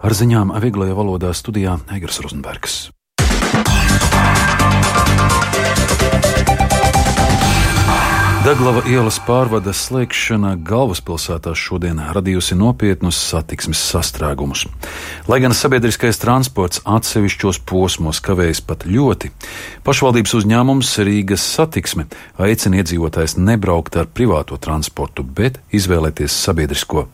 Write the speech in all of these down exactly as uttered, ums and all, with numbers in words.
Ar ziņām vieglajā valodā studijā Egers Rozenbergs. Daglava ielas pārvades slēgšana galvaspilsētā šodien radījusi nopietnus satiksmes sastrēgumus. Lai gan sabiedriskais transports atsevišķos posmos kavējas pat ļoti, pašvaldības uzņēmums Rīgas satiksme aicina iedzīvotājus nebraukt ar privāto transportu, bet izvēlēties sabiedrisko.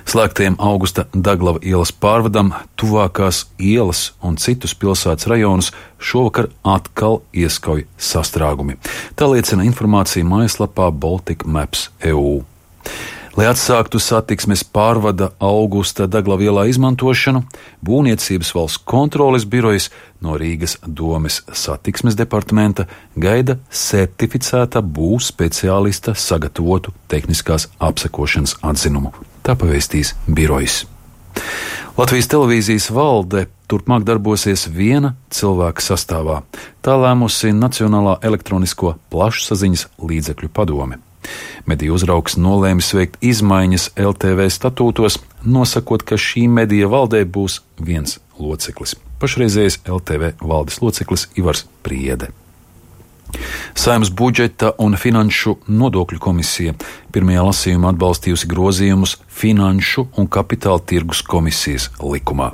Slēgtajiem Augusta Daglava ielas pārvadam tuvākās ielas un citus pilsētas rajonus šovakar atkal ieskauj sastrēgumi. Tā liecina informācija mājaslapā Baltic Maps E U. Lai atsāktu satiksmes pārvada Augusta Daglava ielā izmantošanu, Būvniecības valsts kontroles birojas no Rīgas domes satiksmes departamenta gaida certificēta būvs speciālista sagatavotu tehniskās apsekošanas atzinumu. Tā pavēstīs birojas. Latvijas televīzijas valde turpmāk darbosies viena cilvēka sastāvā. Tā lēmusi Nacionālā elektronisko plašsaziņas līdzekļu padome. Mediju uzraugs nolēmis veikt izmaiņas L T V statūtos, nosakot, ka šī medija valdē būs viens loceklis. Pašreizējais L T V valdes loceklis Ivars Priede. Saeimas budžeta un finanšu nodokļu komisija pirmajā lasījumā atbalstījusi grozījumus Finanšu un kapitāla tirgus komisijas likumā.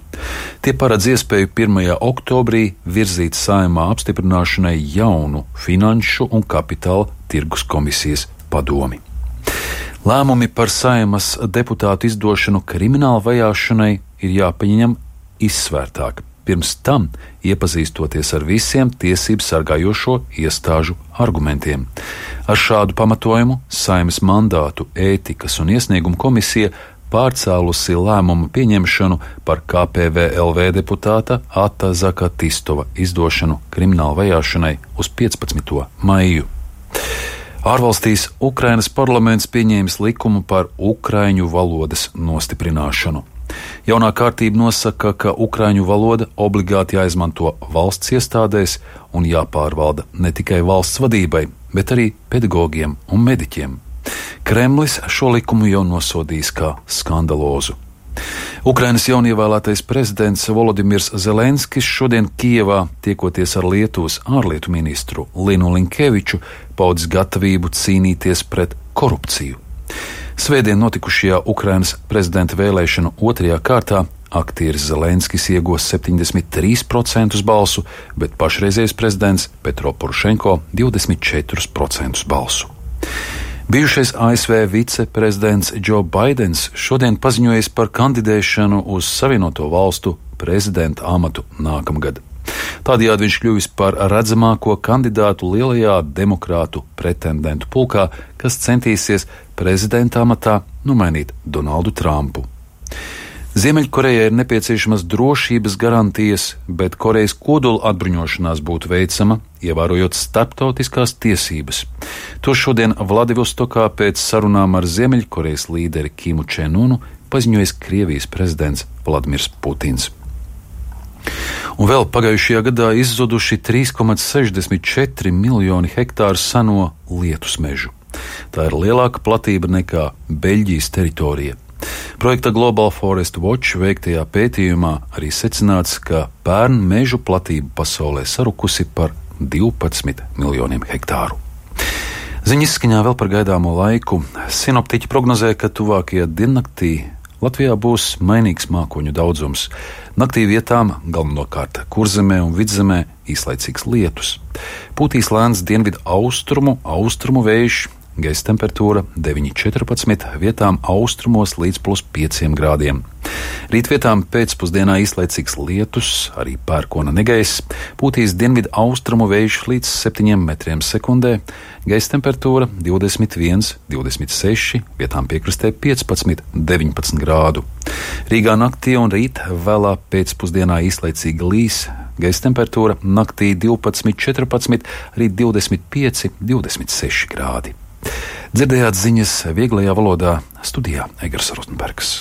Tie paredz iespēju pirmajā oktobrī virzīt Saeimā apstiprināšanai jaunu Finanšu un kapitāla tirgus komisijas padomi. Lēmumi par Saeimas deputātu izdošanu krimināla vajāšanai ir jāpieņem izsvērtāk. Pirms tam iepazīstoties ar visiem tiesību sargājošo iestāžu argumentiem. Ar šādu pamatojumu Saeimas mandātu ētikas un iesniegumu komisija pārcēlusi lēmumu pieņemšanu par K P V L V deputāta Ata Zakatistova izdošanu krimināla vajāšanai uz piecpadsmito maiju. Ārvalstīs Ukrainas parlaments pieņēmis likumu par ukraiņu valodas nostiprināšanu. Jaunā kārtība nosaka, ka ukraiņu valoda obligāti jāizmanto valsts iestādēs un jāpārvalda ne tikai valsts vadībai, bet arī pedagogiem un mediķiem. Kremlis šo likumu jau nosodījis kā skandalozu. Ukrainas jaunievēlētais prezidents Volodimirs Zelenskis šodien Kijevā, tiekoties ar Lietuvas ārlietu ministru Linu Linkeviču, paudis gatavību cīnīties pret korupciju. Svētdien notikušajā Ukrainas prezidenta vēlēšanu otrajā kārtā aktieris Zelenskis iegūs septiņdesmit trīs procentus balsu, bet pašreizējais prezidents Petro Porošenko divdesmit četrus procentus balsu. Bijušais A S V viceprezidents Džo Baidens šodien paziņojis par kandidēšanu uz Savienoto valstu prezidenta amatu nākamgad. Tādējādi viņš kļuvis par redzamāko kandidātu lielajā demokrātu pretendentu pulkā, kas centīsies prezidenta amatā nomainīt Donaldu Trumpu. Ziemeļkorejai ir nepieciešamas drošības garantijas, bet Korejas kodola atbruņošanās būtu veicama, ievērojot starptautiskās tiesības. To šodien Vladivostokā pēc sarunām ar Ziemeļkorejas līderi Kimu Čen-unu paziņojis Krievijas prezidents Vladimirs Putins. Un vēl pagājušajā gadā izzuduši trīs komā sešdesmit četri miljoni hektāru seno lietus mežu. Tā ir lielāka platība nekā Beļģijas teritorija. Projekta Global Forest Watch veiktajā pētījumā arī secināts, ka pērn mežu platība pasaulē sarukusi par divpadsmit miljoniem hektāru. Ziņas izskaņā vēl par gaidāmo laiku. Sinoptiķi prognozē, ka tuvākajā diennaktī Latvijā būs mainīgs mākoņu daudzums. Naktī vietām, galvenokārt Kurzemē un Vidzemē, īslaicīgs lietus. Pūtīs lēns dienvidu austrumu, austrumu vējš, gaisa temperatūra deviņi četrpadsmit, vietām austrumos līdz plus pieciem grādiem. Rīt vietām pēcpusdienā īslaicīgs lietus, arī pērkona negaiss, pūtīs dienvidu austrumu vējš līdz septiņiem metriem sekundē, gaisa temperatūra divdesmit viens, divdesmit seši, vietām piekrastē piecpadsmit, deviņpadsmit grādu. Rīgā naktī un rīt vēlā pēcpusdienā īslaicīgi līs, gaisa temperatūra naktī divpadsmit, četrpadsmit, rīt divdesmit pieci, divdesmit seši grādi. Dzirdējāt ziņas vieglajā valodā, studijā Egers Rozenbergs.